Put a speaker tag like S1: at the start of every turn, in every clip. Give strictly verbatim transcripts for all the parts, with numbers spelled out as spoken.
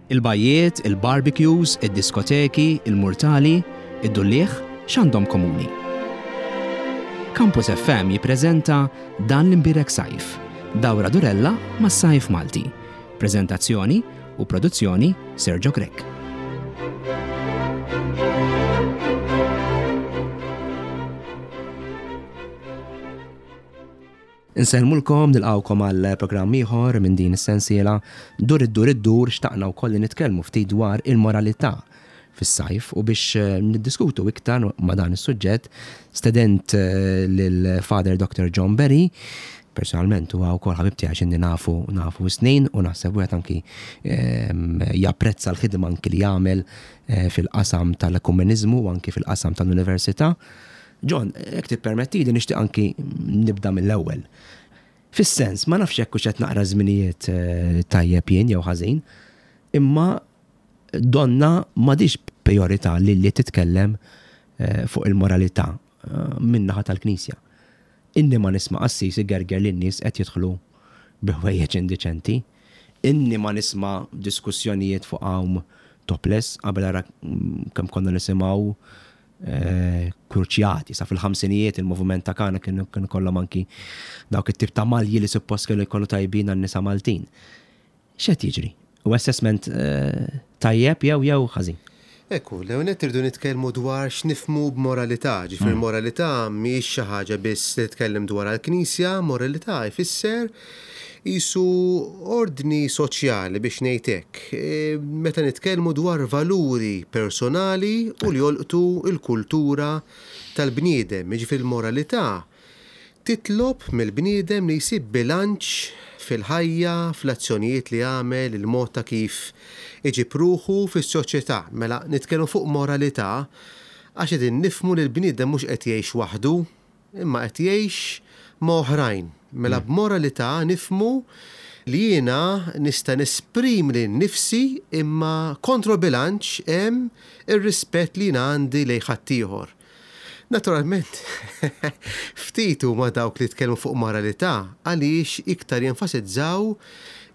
S1: Il-bajjiet, il-barbecues, id-diskoteki, il-murtali, id-dulliegħ, x'għandhom komuni? Campus F M jippreżenta Dan l-Imbierek Sajf, dawra durella mas-sajf Malti. Prezentazzjoni u produzzjoni Sergio Grech. Insellmulkom, nilqawkom għal programm ieħor minn din is-sensiela Dur id-dur id-dur. Xtaqna wkoll li nitkellmu ftit dwar il-moralità fis-sajf u biex eh, niddiskutu iktar ma' dan is-suġġett stedint eh, lil Father Doctor John Berry. Personalment huwa wkoll ħabib tiegħi x'inni nafu nafu snin u naħseb wieħed anki ehm, japprezza l-ħidma anki li jagħmel eh, fil-qasam tal-ekumeniżmu u anki fil-qasam tal-università. John, jekk tippermettili, nixtieq anki nibda mill-ewwel. Fis-sens, ma nafx jekk hux qed naqra żminijiet eh, tajjeb jien jew ħażin, imma donna m'għadix priorità li li titkellem eh, fuq il-moralità eh, min-naħa tal-Knisja. Inni ma nisma' qassis igerger li n-nies qed jidħlu bi ħwejjeġ indiċenti. Inni ma nisma' diskussjonijiet fuq għawm topless, qabel ara mm, kemm konna nisimgħu eh, kruċjati, sa fil-ħamsinijiet il-moviment ta' Kana kienu kienu kollhom anki dawk it-tip ta' malji li suppost kienu jkollu tajbin għan-nisa Maltin. X'qed jiġri? U assessment eh, tajjeb jew jew ħażin?
S2: Ekku, l-ewwel irridu nitkellmu dwar x'nifhmu b'moralità. Ġifieri moralità mhijiex xi ħaġa biss li titkellem dwar għall-Knisja, moralità jfisser isu ordni soċjali, biex ngħid hekk. E, meta nitkellmu dwar valuri personali u li jolqtu il-kultura tal-bniedem, jiġifieri l-moralità titlob mill-bniedem li jsib bilanċ fil-ħajja, fl-azzjonijiet li jagħmel, il-mod ta' kif iġib ruħu fis-soċjetà. Mela nitkellmu fuq moralità għax qegħdin nifhmu li l-bniedem mhux qed jgħix waħdu, imma qed jgħix ma' oħrajn. Mela b'moralità nifhmu li jiena nista' nesprimi lili nnifsi, imma kontrobilanċ hemm ir-rispett li jiena għandi lejn ħaddieħor. Naturalment, ftit huma dawk li tkellmu fuq moralità għaliex iktar jenfasizzaw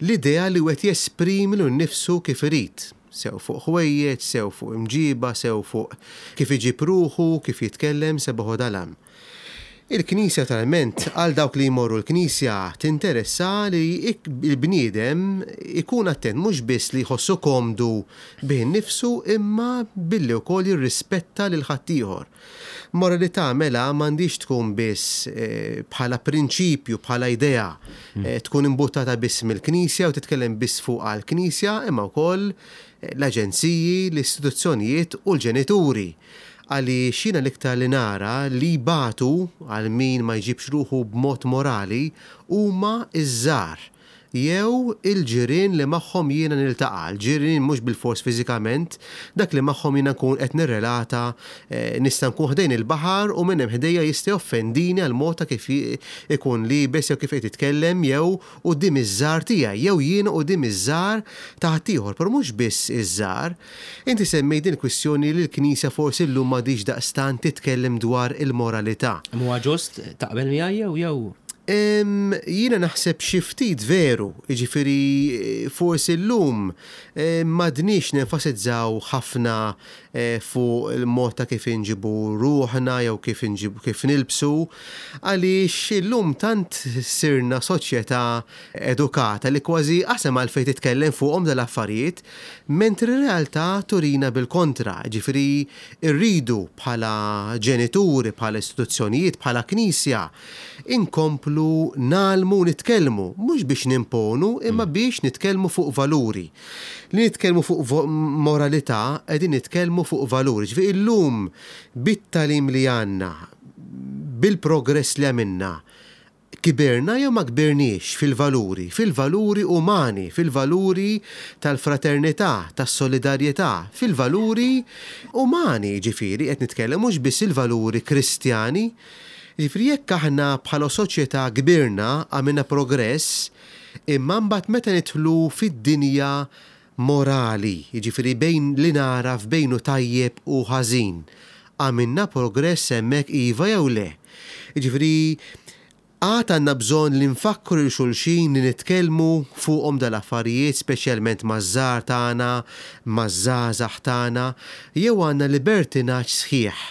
S2: l-idea li wieħed jesprimi lilu nnifsu kif irid. Sew fuq ħwejjeġ, sew fuq imġiba, sew fuq kif iġib ruħu, kif jitkellem, sebaħu dalam. Il-Knisja naturalment, għal dawk li jmorru l-Knisja, tinteressa li il-bniedem ikun attent mhux biss li jħossu komdu bih nifsu, imma billi wkoll jirrispetta lil ħaddieħor. Moralità mela m'għandix tkun biss eh, bħala prinċipju, bħala idea, eh, tkun imbuttata biss mill-Knisja u titkellem biss fuq għall-Knisja, imma wkoll eh, l-aġenziji, l-istituzzjonijiet u l-ġenituri. Għaliex jiena l-iktar li nara li batu għal min ma jġibx ruħu b'mod morali huma iż-żgħar jew il-ġirien li magħhom jiena niltaqa', l-ġirien mhux bil-fors fiżikament, dak li magħhom jiena nkun qed nirrelata, eh, nista' nkun ħdejn il-baħar u minn hemm ħdejja jista' joffendini għal mod ta' kif ikun liebes jew kif qed jitkellem jew quddiem iż-żgħar tiegħi jew jiena quddiem iż-żgħar ta' ħaddieħor, però mhux biss iż-żgħar. Inti semmejt din kwistjoni li l-Knisja forsi llum m'għadix daqstant titkellem dwar il-moralità.
S1: Huwa ġust, taqbel miegħi jew jew
S2: Em, Jiena naħseb xi ftit veru, jiġifieri forsi llum eh, m'għadniex nenfasizzaw ħafna eh, fuq il-mod ta' kif inġibu ruħna jew kif inġibu kif nilbsu, għaliex illum tant sirna soċjetà edukata li kważi qasem għalfejn titkellem fuqhom dal-affarijiet, mentri r-realtà turina bil-kontra, ġifieri rridu bħala ġenituri, bħala istituzzjonijiet, bħala knisja, inkomplu ngħallmu, nitkellmu, mhux biex nimponu, imma biex nitkellmu fuq valuri. Li nitkellmu fuq vo- moralità, qegħdin nitkellmu fuq valuri. Ġifieri illum bit-tagħlim li għandna, bil-progress li għamilna, kibirna jew ma kbirniex fil-valuri, fil-valuri umani, fil-valuri tal-fraternità, tas-solidarjetà, fil-valuri umani, ġifieri qed nitkellem mhux biss il-valuri kristjani. Ġifieri jekk aħna bħala soċjetà kbirna, għamilna progress, imma mbagħad meta nidħlu fid-dinja morali, jiġifieri bejn li naraf bejnu tajjeb u ħażin, għamilna progress hemmhekk, iva jew le? Jiġifieri Għad għandna bżonn li nfakkru lil xulxin li nitkellmu fuqhom dal-affarijiet, speċjalment maż-żgħar tagħna, maż-żgħażagħ tagħna, jew għandna libertinaġġ sħiħ?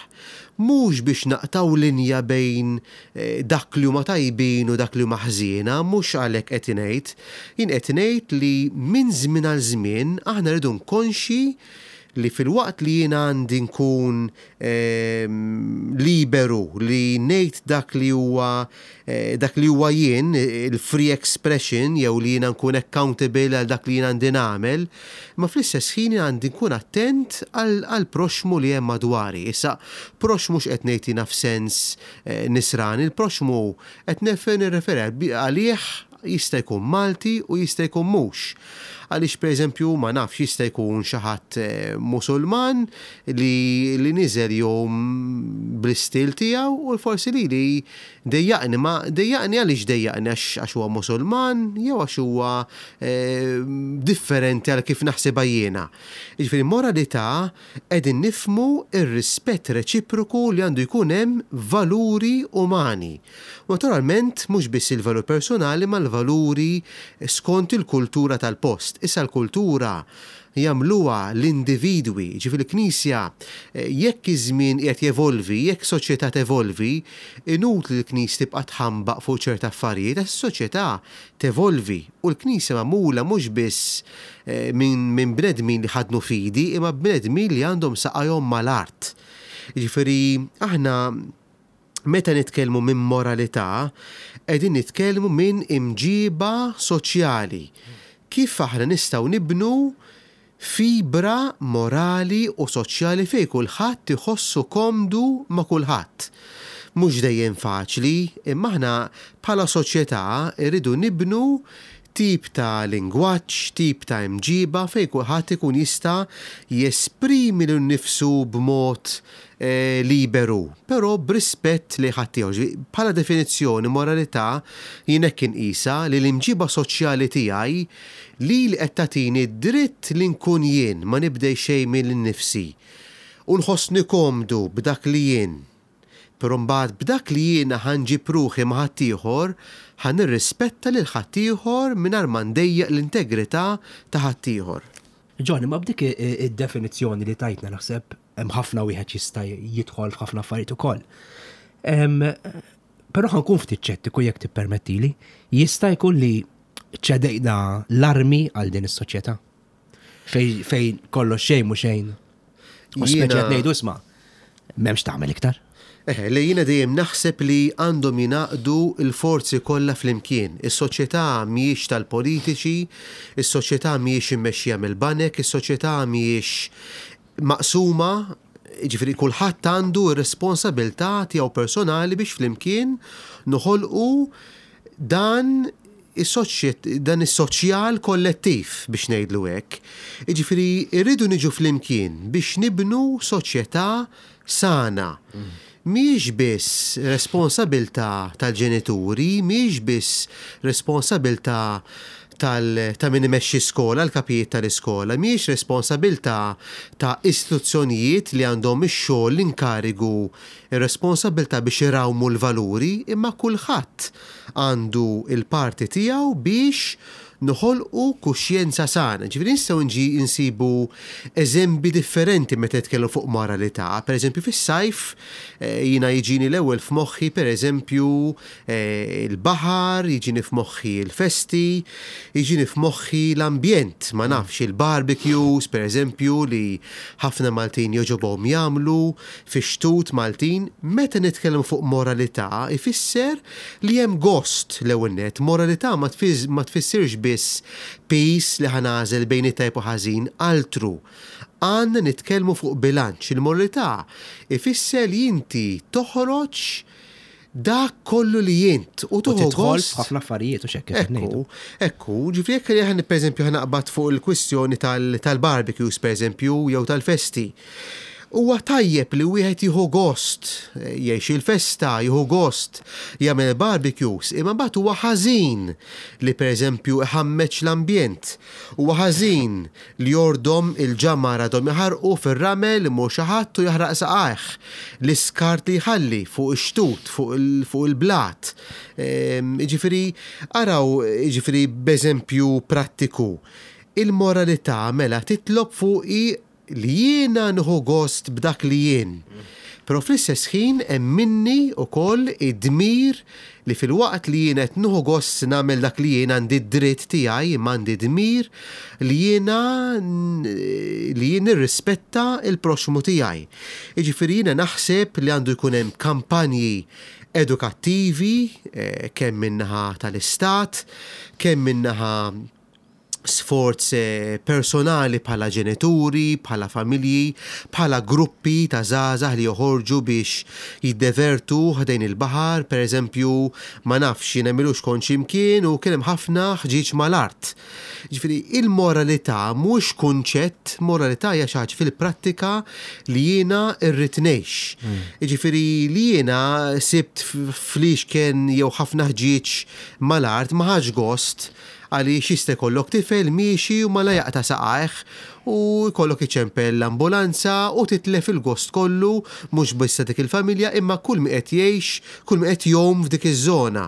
S2: Mhux biex naqtgħu linja bejn eh, dak li huma tajbin u dak li huma ħżiena, mhux għalhekk qed ngħid. Jien qed ngħid li minn żmien għal żmien aħna rridu konxi li filwaqt li jiena għandi nkun ehm, liberu li ngħid dak li huwa eh, dak li huwa jien, il-free expression, jew li jiena nkun accountable għal dak li jiena għandi nagħmel, ma fl-istess ħin għandi nkun attent għal proxmu li hemm madwari. Issa, proxmu x'qed ngħid jiena f'sens eh, nisrani, il-proxmu qed nirreferi għalih jista' jkun Malti u jista' jkun mhux. Għaliex, pereżempju, ma nafx, jista' jkun xi ħadd eh, Musulman li, li niżel jom bl-istil tiegħu u forsi li li dejjaqni, ma dejjaqni għaliex dejjaqni għax huwa Musulman jew għax huwa eh, differenti għal kif naħsibha jiena. Jiġifieri moralità qegħdin nifhmu ir-rispett reċiproku li għandu jkun hemm valuri umani. Naturalment mhux biss il-valur personali ma l-valuri skont il-kultura tal-post. Issa l-kultura jagħmluha l-individwi, ġifieri l-Knisja, eh, jekk iż-żmien qiegħed jevolvi, jekk soċjetà tevolvi, inutli l-Knisja tibqa' tħambaq fuq ċerta affarijiet, għax is-soċjetà tevolvi u l-Knisja magħmula mhux biss eh, minn min bnedmin li ħadnu fidi, imma bnedmin li għandhom saqajhom mal-art. Ġifieri aħna meta nitkellmu minn moralità, qegħdin nitkellmu minn imġiba soċjali. Kif aħna nistgħu nibnu fibra morali u soċjali fej kulħadd iħossu komdu ma' kulħadd? Mhux dejjem faċli, imma aħna bħala soċjetà irridu nibnu tip ta' lingwaġġ, tip ta' imġiba fej kulħadd ikun jista' jesprimi lil nifsu b'mod eh, liberu, però b'rispett li ħaddieħor. Bħala definizzjoni moralità jien hekk inqisha, li l-imġiba soċjali tiegħi li li qed tagħtini dritt li nkun jien, ma nibdej xejn minn nifsi u nħossni komdu b'dak li jien. Però mbagħad b'dak li jiena ħa nġib ruħi ma' ħaddieħor, ħa nirrispetta lil ħaddieħor mingħajr ma ndejjaq l-integrità ta' ħaddieħor.
S1: Johnny, ma b'dik id-definizzjoni li tajtna naħseb hemm ħafna wieħed jista' jidħol f'ħafna affarijiet ukoll. Però ħa nkun ftit ċettiku jekk tippermettili, jista' jkun li ċedejna l-armi għal din is-soċjetà? Fej fej kollox xejn mhu xejn. U speċi qed ngħidu, isma', m'hemmx tagħmel iktar.
S2: Eħe, li jiena dejjem naħseb li għandhom jingħaqdu l-forzi kollha flimkien. Is-soċjetà mhijiex tal-politiċi, is-soċjetà mhijiex immexxija mill-banek, is-soċjetà mhijiex maqsuma, ġifieri kulħadd għandu r-responsabilità tiegħu personali biex flimkien noħolqu dan is-soċjet dan is-soċjal kollettiv, biex ngħidlu hekk. Jiġifieri rridu niġu flimkien biex nibnu soċjetà sana. Mhijiex biss responsabilità tal-ġenituri, mhijiex biss responsabilità tal, ta' min imexxi skola, l-kapijiet tal-iskola, mhijiex responsabilità ta' istituzzjonijiet li għandhom ix-xogħol, l-inkarigu, ir-responsabilità biex irawmu l-valuri, imma kulħadd għandu il-parti tiegħu biex noħolqu kuxjenza sana. Ġifieri nistgħu nġi insibu eżempi differenti meta nitkellmu fuq moralità. Per eżempju fis-sajf eh, jiena jiġini l-ewwel f'moħħi, per eżempju, eh, il-baħar, jiġini f'moħħi il-festi, jiġini f'moħħi l-ambjent, ma nafx, il-barbecues per eżempju li ħafna Maltin jogħġobhom jagħmlu fix-xtut Maltin. Meta nitkellmu fuq moralità ifisser li hemm gost l-ewwel nett. Moralità ma tfiz- ma tfissirx biss peace li ħa nagħżel bejn it-tajb u ħażin, altru. Għandna nitkellmu fuq bilanċ. Il-moralità ifisser li inti toħroġ dak kollu li jint u
S1: U
S2: tuħu
S1: tidħol
S2: gost.
S1: f'ħafna affarijiet u xekk qed ngħidu.
S2: Ekku, ekku, ġifieri jekk aħna, per eżempju, ħa naqbad fuq il-kwistjoni tal- tal-barbecues per eżempju jew tal-festi. Huwa tajjeb li wieħed jieħu gost, jgħix il-festa, jieħu gost, jagħmel barbecues, imma mbagħad huwa ħażin li pereżempju iħammeġ l-ambjent. Huwa ħażin li jordom il-ġamar għadhom jaħarqu fir-ramel, imur xi ħadd u jaħraq saqajh. L-iskart li jħalli fuq ix-xtut, fuq il-blat. Jiġifieri, araw, jiġifieri b'eżempju prattiku. Il-moralità mela titlob fuqi li jiena nieħu gost b'dak li jien. Però fl-istess ħin hemm minni wkoll id-dmir li filwaqt li jien qed nieħu gost nagħmel dak li jien, għandi d-dritt tiegħi, imma għandi dmir li jiena li jien nirrispetta il-proxxmu tiegħi. Jiġifieri jiena naħseb li għandu jkun hemm kampanji edukattivi, kemm min-naħa tal-Istat, kemm min-naħa sforz personali bħala ġenituri, bħala familji, bħala gruppi ta' żgħażagħ li joħorġu biex jiddevertu ħdejn il-baħar, per eżempju, ma nafx, jiena m'ilux kont x'imkien u kien hemm ħafna ħġieġ mal-art. Ġifieri, il-moralità mhux kunċett, moralità hija xi ħaġa fil-prattika li jiena rrid ngħix. Ġifieri li jiena sibt fliexken jew ħafna ħġieġ mal-art ma ħadx gost, għaliex jista' jkollok tifel miexi u mala jaqta' saqajh u jkollok iċempel l-ambulanza u titlef il-gost kollu, mhux biss ta' dik il-familja imma kull min qed jgħix, kull min qed jgħum f'dik iż-żona.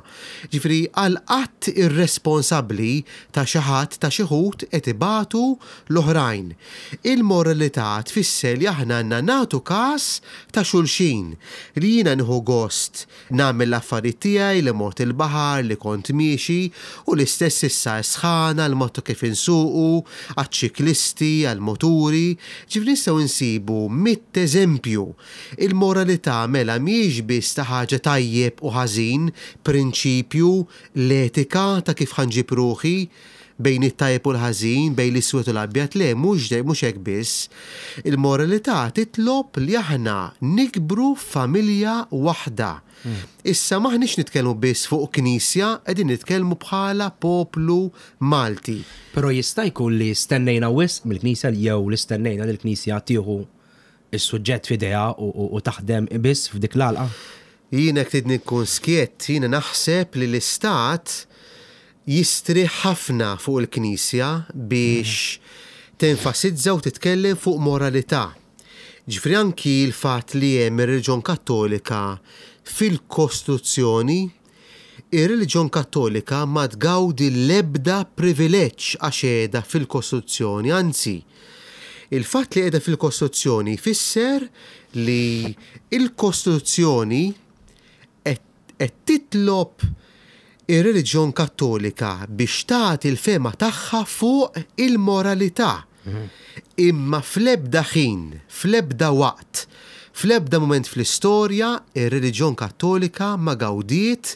S2: Ġifieri għal qatt irresponsabbli ta' xi ħadd, ta' xi ħut qed ibatu l-oħrajn. Il-moralità tfisser li aħna għandna nagħtu każ ta' xulxin, li jiena nieħu gost nagħmel l-affarijiet tiegħi, li mort il-baħar, li kont miexi, u l-istess issa sħana, l-mod kif insuqu, għaċ-ċiklisti, għal-moturi, ġifieri nistgħu nsibu mitt eżempju. Il-moralità mela mhijiex biss ta' ħaġa tajjeb u ħażin, prinċipju, l-etika ta' kif ħanġib ruħi bejn it-tajjeb u l-ħażin, bejn l-iswed u l-abjad, le, mhux dej, mhux hekk biss. Il-moralità titlob li aħna nikbru f'familja waħda. Issa maħniex nitkellmu biss fuq knisja, qegħdin nitkellmu bħala poplu Malti.
S1: Però jista' jkun li stennejna wisq mill-knisja jew li stennejna li l-knisja tieħu is-suġġett f'idejha u, u, u taħdem biss f'dik l-għalqa?
S2: Jiena jekk tridni nkun skjett, jiena naħseb li l-Istat jistrieħ ħafna fuq il-Knisja biex tenfasizza u titkellem fuq moralità. Ġifieri anki l-fatt li hemm ir-reliġjon Kattolika fil-Kostituzzjoni, ir-reliġjon Kattolika ma tgawdi l-ebda privileġġ għax qiegħda fil-Kostituzzjoni, anzi, il-fatt li qiegħda fil-Kostituzzjoni jfisser li il-Kostituzzjoni qed titlob ir-reliġjon Kattolika biex tagħti l-fema tagħha fuq il-moralità. Imma fl-ebda ħin, fl-ebda waqt, fl-ebda mument fl-istorja, ir-reliġjon Kattolika ma gawdiet,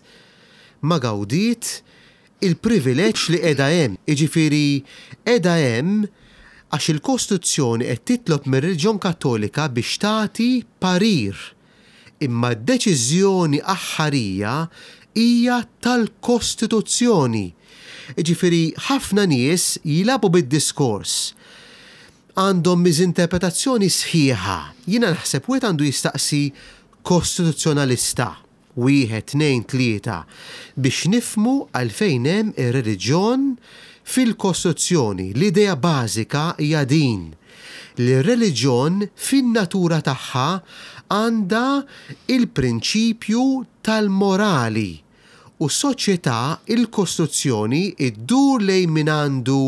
S2: ma gawdiet il-privileġġ li qiegħda hemm. Jiġifieri qiegħda hemm għax il-Kostituzzjoni qed titlob mir-reliġjon Kattolika biex tagħti parir. Imma d-deċiżjoni aħħarija hija tal-Kostituzzjoni. Jiġifieri ħafna nies jilagħbu bid-diskors, għandhom miżinterpretazzjoni sħiħa. Jiena naħseb wieħed għandu jistaqsi kostituzzjonalista, wieħed, tnejn, tlieta, biex nifhmu għalfejn hemm ir-reliġjon fil-Kostituzzjoni. L-idea bażika hija din, li r-reliġjon fin-natura tagħha għandha il-prinċipju tal-morali u s-soċjetà, il-Kostituzzjoni iddur lejn min għandu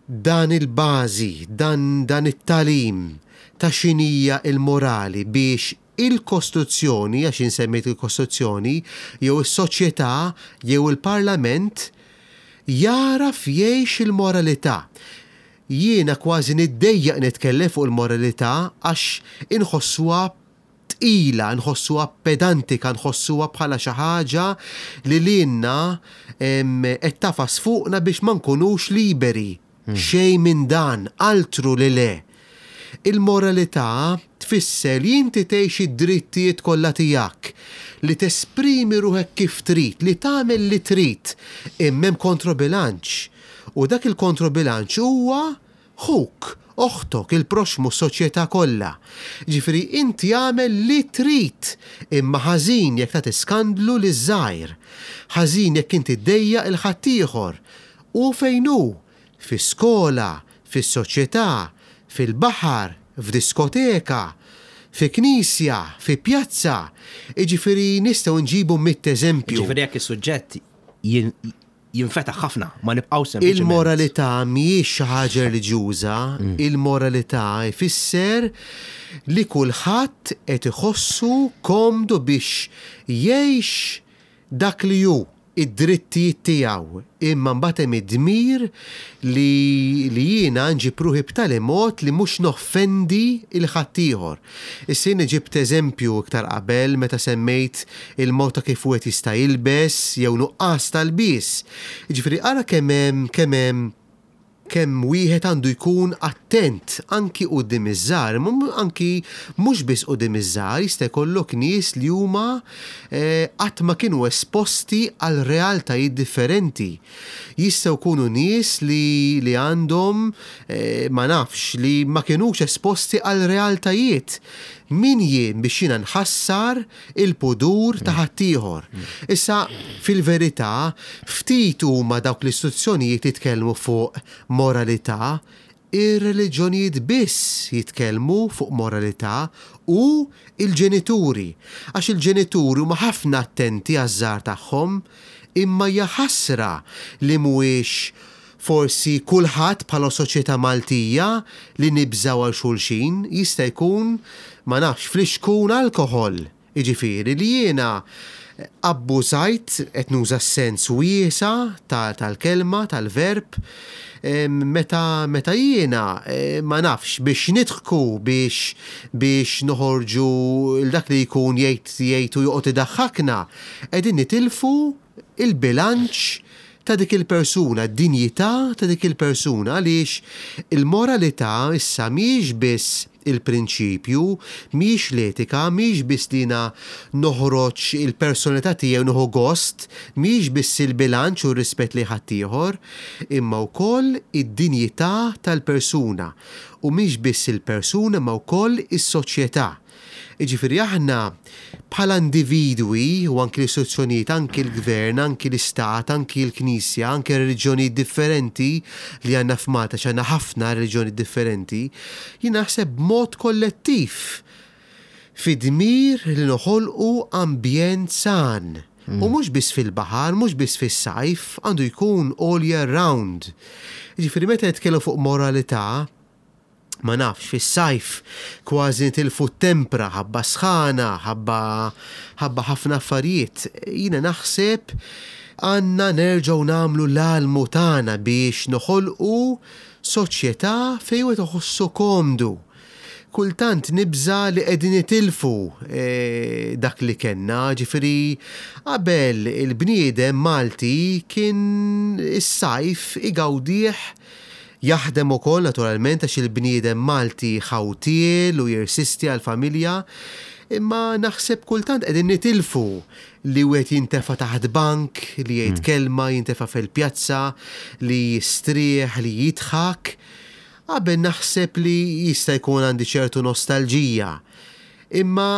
S2: dan il-bażi, dan, dan it-talim ta' x'inhija il-morali biex il-Kostituzzjoni, għax insemmejt il-Kostituzzjoni, jew is-soċjetà jew il-Parlament jaraf jgħix il-moralità. Jiena kważi niddejjaq nitkellem fuq il-moralità għax inħossuha tqila, nħossuha pedantika, nħossuha bħala xi ħaġa li lilna, em, qed tafas fuqna biex ma nkunux liberi.
S1: Hmm.
S2: Xejn minn dan, altru li le. Il-moralità tfisser li inti tgħix id-drittijiet kollha tiegħek, li tesprimi ruħek kif trid, li tagħmel li trid, imma hemm kontrobilanċ. U dak il-kontrobilanċ huwa ħuk, Oħtok, il-proxmu, soċjetà kollha. Ġifieri inti għamel li trid, imma ħażin jekk tagħti skandlu liż-żgħir. Ħażin jekk inti ddejjaq 'il ħaddieħor. U fejn hu? Fi skola, fis-soċjetà, fil-baħar, f'diskoteka, fi knisja, fi pjazza. Jiġifieri nistgħu nġibu mitt eżempju.
S1: Ġifieri jekk is-suġġett jinfetaħ ħafna, ma nibqgħu sempliċement.
S2: Il-moralità mhijiex xi ħaġa reliġjuża, il-moralità jfisser li kulħadd qed iħossu komdu biex jgħix dak li hu, id-drittijiet tiegħu, imma mbagħad hemm id-dmir li, li jiena nġib ruħi b'tali mod li mhux noffendi 'l ħaddieħor. Issa jiena ġibt eżempju iktar qabel meta semmejt il-mod ta' kif wieħed jista' jilbes jew nuqqas tal-bies. Jiġifieri ara kemm hemm kemm hemm kemm wieħed għandu jkun attent anki quddiem iż-żgħar, anki mhux biss quddiem iż-żgħar, jista' jkollok nies li huma qatt ma kienu esposti għal realtajiet differenti. Jistgħu jkunu nies li, li għandhom ma nafx li ma kinux esposti għal realtajiet. Min jien biex jiena nħassar il-pudur ta' ħaddieħor? Issa fil-verità ftit huma dawk l-istituzzjonijiet jitkellmu fuq moralità, ir-reliġjonijiet biss jitkellmu fuq moralità u il-ġenituri. Għax il-ġenituri huma ħafna attenti għaż-żgħar tagħhom, imma hija ħasra li mhuwiex forsi kulħadd bħala soċjetà Maltija li nibżaw għal xulxin, jista' jkun ma nafx flixkun alkoħol. Jiġifieri li jiena abbużajt, qed nuża s-sens wiesa' tal-kelma, tal-verb, meta, meta jiena ma nafx biex nidħku, biex, biex noħorġu dak li jkun jgħid jgħid u joqgħod idaħħakna, qegħdin nitilfu il-bilanċ ta' dik il-persuna, d-dinjità ta' dik il-persuna, għaliex il-moralità issa mhijiex biss il-prinċipju, mhijiex l-etika, mhijiex biss li jiena noħroġ il-personalità tiegħi u nieħu gost, mhijiex biss il-bilanċ u r-rispett li ħaddieħor, imma wkoll id-dinjità tal-persuna. U mhijiex biss il-persuna, ma wkoll is-soċjetà. Jiġifieri aħna bħala individwi u anki l-istituzzjonijiet, anki l-gvern, anki l-istat, anki l-knisja, anki reliġjonijiet differenti li għandna f'Malta, għandna ħafna reliġjonijiet differenti, jien naħseb b'mod kollettiv fid-dmir li noħolqu ambjent san. U mhux biss fil-baħar, mhux biss fis-sajf, għandu jkun all year round. Jiġifieri meta nitkellmu fuq moralità, ma nafx, fis-sajf kważi nitilfu t-tempra, ħabba sħana, ħabba, ħabba ħafna affarijiet. Jiena naħseb għandna nerġgħu nagħmlu l-almu tagħna biex noħolqu soċjetà fejn wieħed iħossu komdu. Kultant nibża li qegħdin nitilfu eh, dak li kellna, ġifieri qabel il-bniedem Malti kien is-sajf igawdih, jaħdem ukoll naturalment għax il-bniedem Malti ħawtiel u jirsisti għall-familja, imma naħseb kultant qegħdin nitilfu li wieħed jintefa' taħt bank, li jgħid kelma, jintefa' fil-pjazza, li jistrieħ, li jidħak. Qabel naħseb li jista' jkun għandi ċertu nostalġija. Imma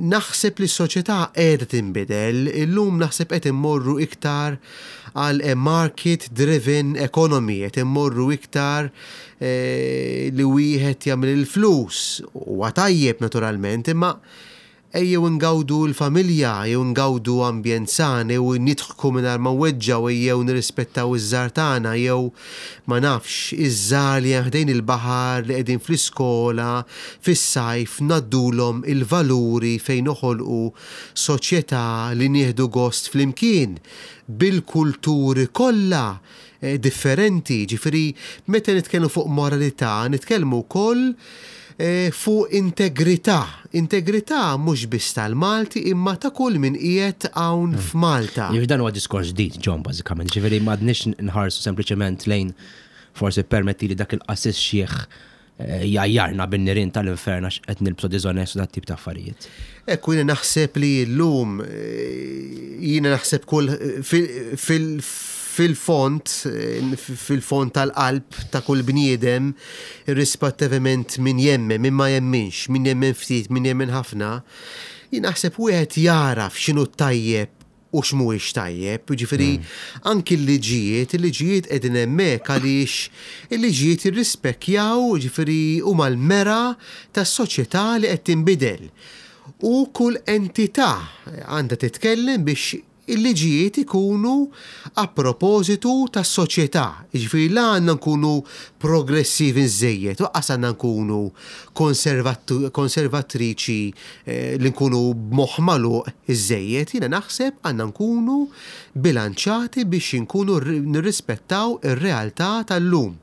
S2: naħseb li s-soċjetà qiegħda tinbidel, illum naħseb qed immorru iktar għal a market driven economy, qed immorru iktar eh, li wieħed jagħmel il-flus, huwa tajjeb naturalment, imma ejjew ngawdu l-familja, ejjew ngawdu ambjent san, ejjew nidħku mingħajr ma nweġġgħu, ejjew nirrispettaw iż-żgħar tagħna, jew ma nafx iż-żgħar li hemm ħdejn il-baħar, li qegħdin fl-iskola, fis-sajf, ngħaddulhom il-valuri fejn noħolqu soċjetà li nieħdu gost flimkien bil-kulturi kollha eh, differenti. Ġifieri meta nitkellmu fuq moralità, nitkellmu wkoll eh, fuq integrità. Integrità mhux biss tal-Malti imma ta' kull min qiegħed hawn f'Malta.
S1: Jiġifieri dan huwa diskors ġdid, John, bażikament. Ġifieri m'għadniex nħarsu sempliċement lejn forsi permetti li dak il-qassis xieħ eh, jgħajjarna bin-nirien tal-infern għax qed nilbsu diżonest u dat tip ta' affarijiet.
S2: Ekku, jiena naħseb li llum, eh, jiena naħseb kull fil, fil, fil-fond, fil-fond tal-qalb ta' kull bniedem, irrispettivament min jemmen, min ma jemminx, min jemmen ftit, min jemmen ħafna, jien naħseb wieħed jaraf x'inhu tajjeb u x'mhuwiex tajjeb, jiġifieri anki l-liġijiet, il-liġijiet qegħdin hemmhekk għaliex il-liġijiet jirrispekjaw, jiġifieri huma l-mera tas-soċjetà li qed tinbidel. U kull entità għandha titkellem biex il-liġijiet ikunu a propositu tas-soċjetà. Jiġifieri la għandna nkunu progressivi żejjed, u qas għandna nkunu konservatriċi eh, li nkunu b'moħħ magħluq iżejjed, jiena naħseb għandna nkunu bilanċati biex nkunu nirrispettaw ir-realtà tal-lum.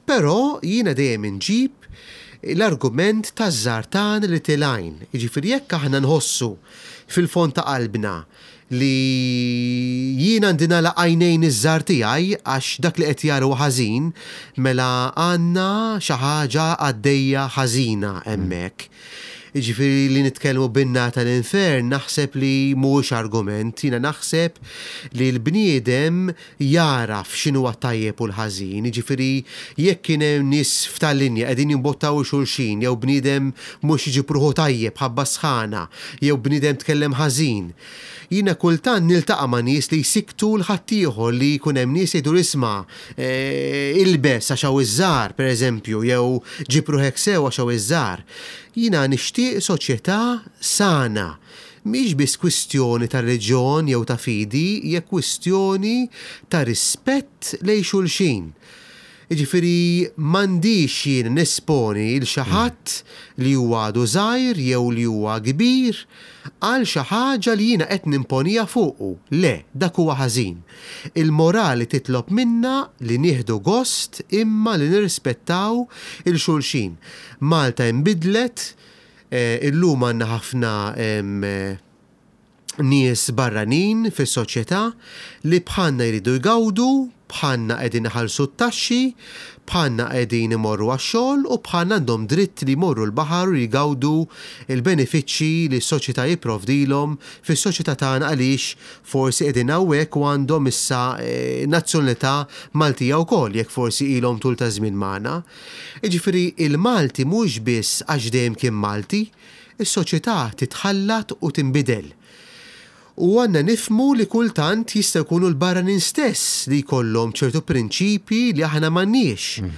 S2: Però jiena dejjem inġib l-argument taż-żartan li tilajn. Jiġifieri jekk aħna nħossu fil-fond ta' qalbna li jiena għandi nagħlaq għajnejn iż-żgħar tiegħi għax dak li qed jaru ħażin, mela għandna xi ħaġa għaddejja ħażina hemmhekk. Jiġifieri li nitkellmu bin-nar tal-infern naħseb li mhuwiex argument, jiena naħseb li l-bniedem jaraf x'inhu tajjeb u l-ħażin, jiġifieri jekk kien hemm nies f'tal-linja qegħdin jimbottaw xulxin, jew bniedem mhux jiġi ruħu tajjeb ħabba sħana, jew bniedem tkellem ħażin. Jiena kultant niltaqa' ma' nies li jsiktu l-ħaddieħor, li jkun hemm nies jgħidu isma' ilbes għax hawn iż-żgħar, pereżempju, jew ġib ruħek sew għax hawn iż-żgħar. Jiena nixtieq soċjetà sana. Mhix biss kwistjoni ta' reliġjon jew ta' fidi, hija kwistjoni ta' rispett lejn xulxin. Jiġifieri m'għandix jien nesponi lil xi ħadd li huwa għadu żgħir jew li huwa kbir għal xi ħaġa li jiena qed nimponija fuqu. Le, dak huwa ħażin. Il-morali titlob minna li nieħdu gost imma li nirrispettaw il xulxin. Malta inbidlet, illum għandna ħafna nies barranin fis-soċjetà li bħalna jridu jgawdu, bħalna qegħdin iħallsu t-taxxi, bħalna qegħdin imorru għax-xogħol u bħalna għandhom dritt li jmorru l-baħar u jgawdu l-benefiċċji li s-soċjetà jipprovdilhom fis-soċjetà tagħna għaliex forsi qegħdin hawnhekk u għandhom issa nazzjonalità Maltija wkoll jekk forsi ilhom tul ta' żmien magħna. Jiġifieri il-Malti mhux biss għax dejjem kien Malti, is-soċjetà titħallat u tinbidel. U għandna nifhmu li kultant jista' jkunu l-barranin stess li jkollhom ċertu prinċipji li aħna m'għandniex.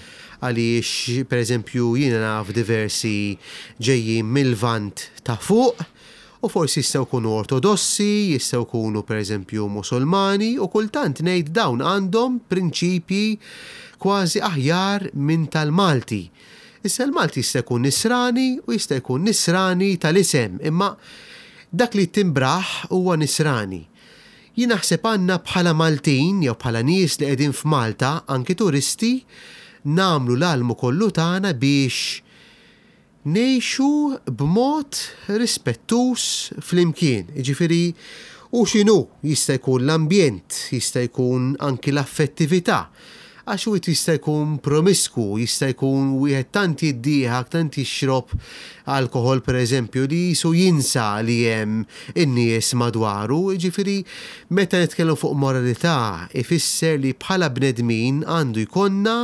S2: Għaliex, pereżempju, jiena naf diversi ġejjin mill-Lvant ta' fuq, u forsi jistgħu jkunu ortodossi, jistgħu jkunu pereżempju Musulmani, u kultant ngħid dawn għandhom prinċipji kważi aħjar minn tal-Malti. Issa l-Malti jista' jkun nisrani u jista' jkun nisrani tal-isem, imma dak li timbraħ huwa nisrani. Jien naħseb għandna bħala Maltin jew bħala nies li qegħdin f'Malta, anki turisti, nagħmlu l-almu kollu tagħna biex ngħixu b'mod rispettuż flimkien. Jiġifieri u x'inhu jista' jkun l-ambjent, jista' jkun anki l-affettività. Għax wieħed jista' jkun promisku, jista' jkun wieħed tant jiddieħak, tant jixrob alkohol pereżempju li jisu jinsa li hemm in-nies madwaru. Jiġifieri meta nitkellmu fuq moralità ifisser li bħala bnedmin għandu jkollna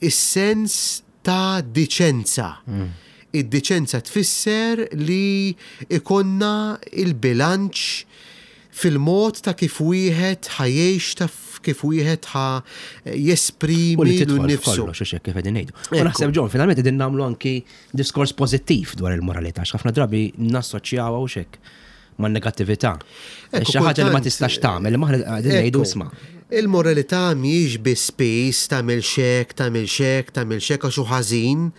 S2: is-sens ta' diċenza. Id-diċenza tfisser li ikonna il-bilanċ fil-mod ta' kif wieħed ħajjex, ta' kif wieħed ħa jesprimi
S1: U li tidħol
S2: nnifsu.
S1: f'kollox, hux hekk kif qegħdin ngħidu. U naħseb John, finalment qegħdin nagħmlu anki diskors pożittiv dwar il-moralità, ħafna drabi nassoċjawha hux hekk man-negattività.
S2: Ekku,
S1: Xi ħaġa li ma
S2: kultant,
S1: tistax tagħmel, li aħna qegħdin ngħidu
S2: Ekku,
S1: isma'.
S2: Il-moralità mhijiex biss piż, tagħmel xek, tagħmel xek, tagħmel xek għax hu ħażin.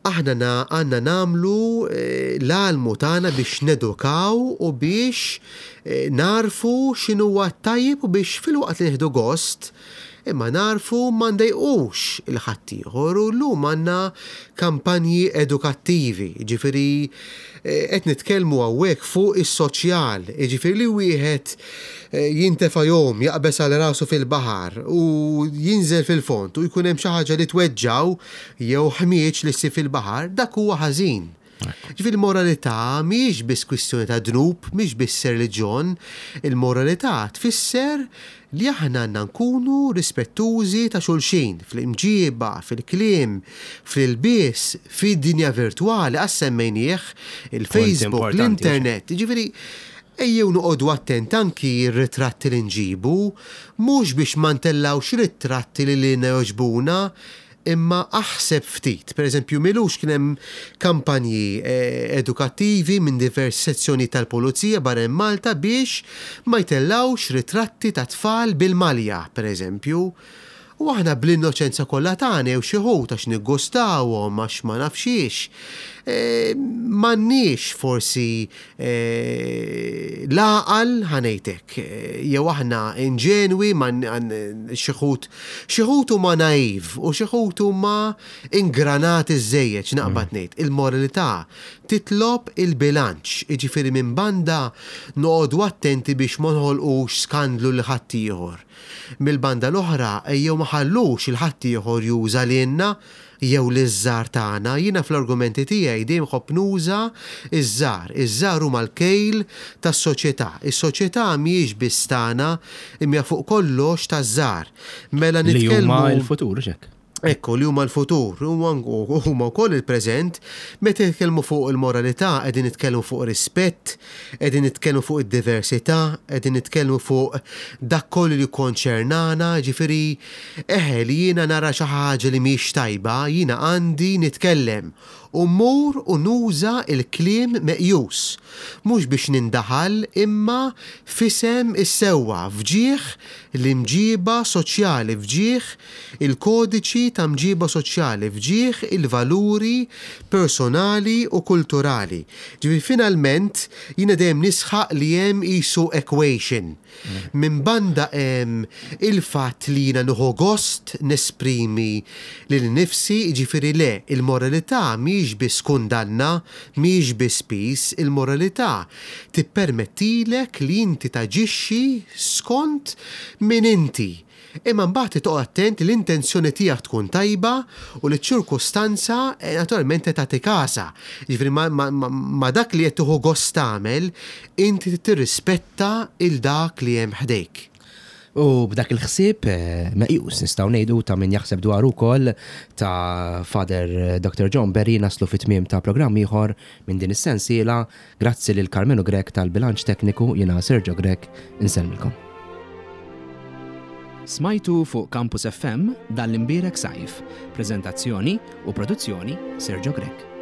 S2: Aħna na-, għandna nagħmlu, eh, l-almu tagħna biex nedukaw u biex, eh, narfu x'inhu tajjeb u biex fil-waqt li nieħdu gost imma narfu ma ndejqux il-ħaddieħor. U llum għandna kampanji edukattivi, jiġifieri, eh, qed nitkellmu hawnhekk fuq is-soċjal, jiġifieri li wieħed, eh, jintefa' jom, jaqbeż għal rasu fil-baħar u jinżel fil-fond u jkun hemm xi ħaġa li tweġġaw jew ħmieġ li ssib fil-baħar, dak huwa ħażin. Ġifieri moralità mhijiex biss kwistjoni ta' dnub, mhijiex biss reliġjon, il-moralità tfisser li aħna għandna nkunu rispettużi ta' xulxin fl-imġiba, fil-kliem, fl-ilbies, fid-dinja virtwali, għax semmejnieh, il-Facebook, l-internet. Ġifieri, ejjew noqogħdu attent anki r-ritratti li nġibu, mhux biex ma ntellgħux ritratti li lilna jogħġbuna, imma aħseb ftit. Per eżempju, m'ilux kien hemm kampanji eh, edukattivi minn diversi sezzjoni tal-Pulizija barra Malta biex ma jtellawx ritratti ta' tfal bil-malja, per eżempju. U aħna bl-innoċenza kollha tagħna jew xi wħud għax niggustawhom, għax ma nafx xiex. E, M'għandniex forsi e, l-għaqal, ħa ngħidlek, jew aħna inġenwi, xi wħud xi wħud huma naiv u xi wħud huma ingranati żejjed, naqbad ngħid. Il-moralità titlob il-bilanċ, jiġifieri minn banda noqogħdu attenti biex ma noħolqux skandlu lil ħaddieħor. Mill-banda l-oħra, ejjew ma nħallux lil ħaddieħor juża lilna jew liż-żgħar tagħna. Jiena fl-argumenti tiegħi dejjem nħobb nuża iż-żgħar. Iż-żgħar huma l-kejl tas-soċjetà. Is-soċjetà mhijiex biss tagħna, imma fuq kollox taż-żgħar.
S1: Mela nitkellmu li huma l-futur xek.
S2: Ekku, li huma l-futur, huma wkoll il-preżent. Meta nitkellmu fuq il-moralità, qegħdin nitkellmu fuq rispett, qegħdin nitkellmu fuq id-diversità, qegħdin nitkellmu fuq dak kollu li jikkonċernana, ġifieri eħe li jiena nara xi ħaġa li mhix tajba, jiena għandi nitkellem u mmur u nuża il-kliem meqjus. Mhux biex nindaħal, imma f'isem is-sewwa, f'ġieħ l-imġiba soċjali, f'ġieħ il-kodiċi ta' mġiba soċjali, f'ġieħ il-valuri personali u kulturali. Ġifieri finalment jiena dejjem nisħaq li hemm qisu equation. Minn banda hemm il-fatt li jiena nieħu gost nesprimi lil nifsi, ġifieri le, il-moralità mhijiex biss kundanna, mhijiex biss piż, il-moralità tippermettilek li inti taġixxi skont min inti. Imma mbagħad toqgħod attent li l-intenzjoni tiegħek tkun tajba u li ċ-ċirkustanza eh, naturalment tagħti kasha. Ġifieri ma, ma, ma, ma dak li qed tieħu gost tagħmel, inti tirrispetta il dak li hemm ħdejk.
S1: U b'dak il-ħsieb eh, meqjus, nistgħu ngħidu, ta' min jaħseb dwar ukoll, ta' Father Doctor John Berry, naslu fit-tmiem ta' programm ieħor minn din is-sensiela. Grazzi lil Carmenu Grech tal-bilanċ tekniku, jiena Sergio Grech insellmilkom. Smajtu fuq Campus F M Dan l-Imbierek Sajf. Prezentazzjoni u produzzjoni Sergio Grech.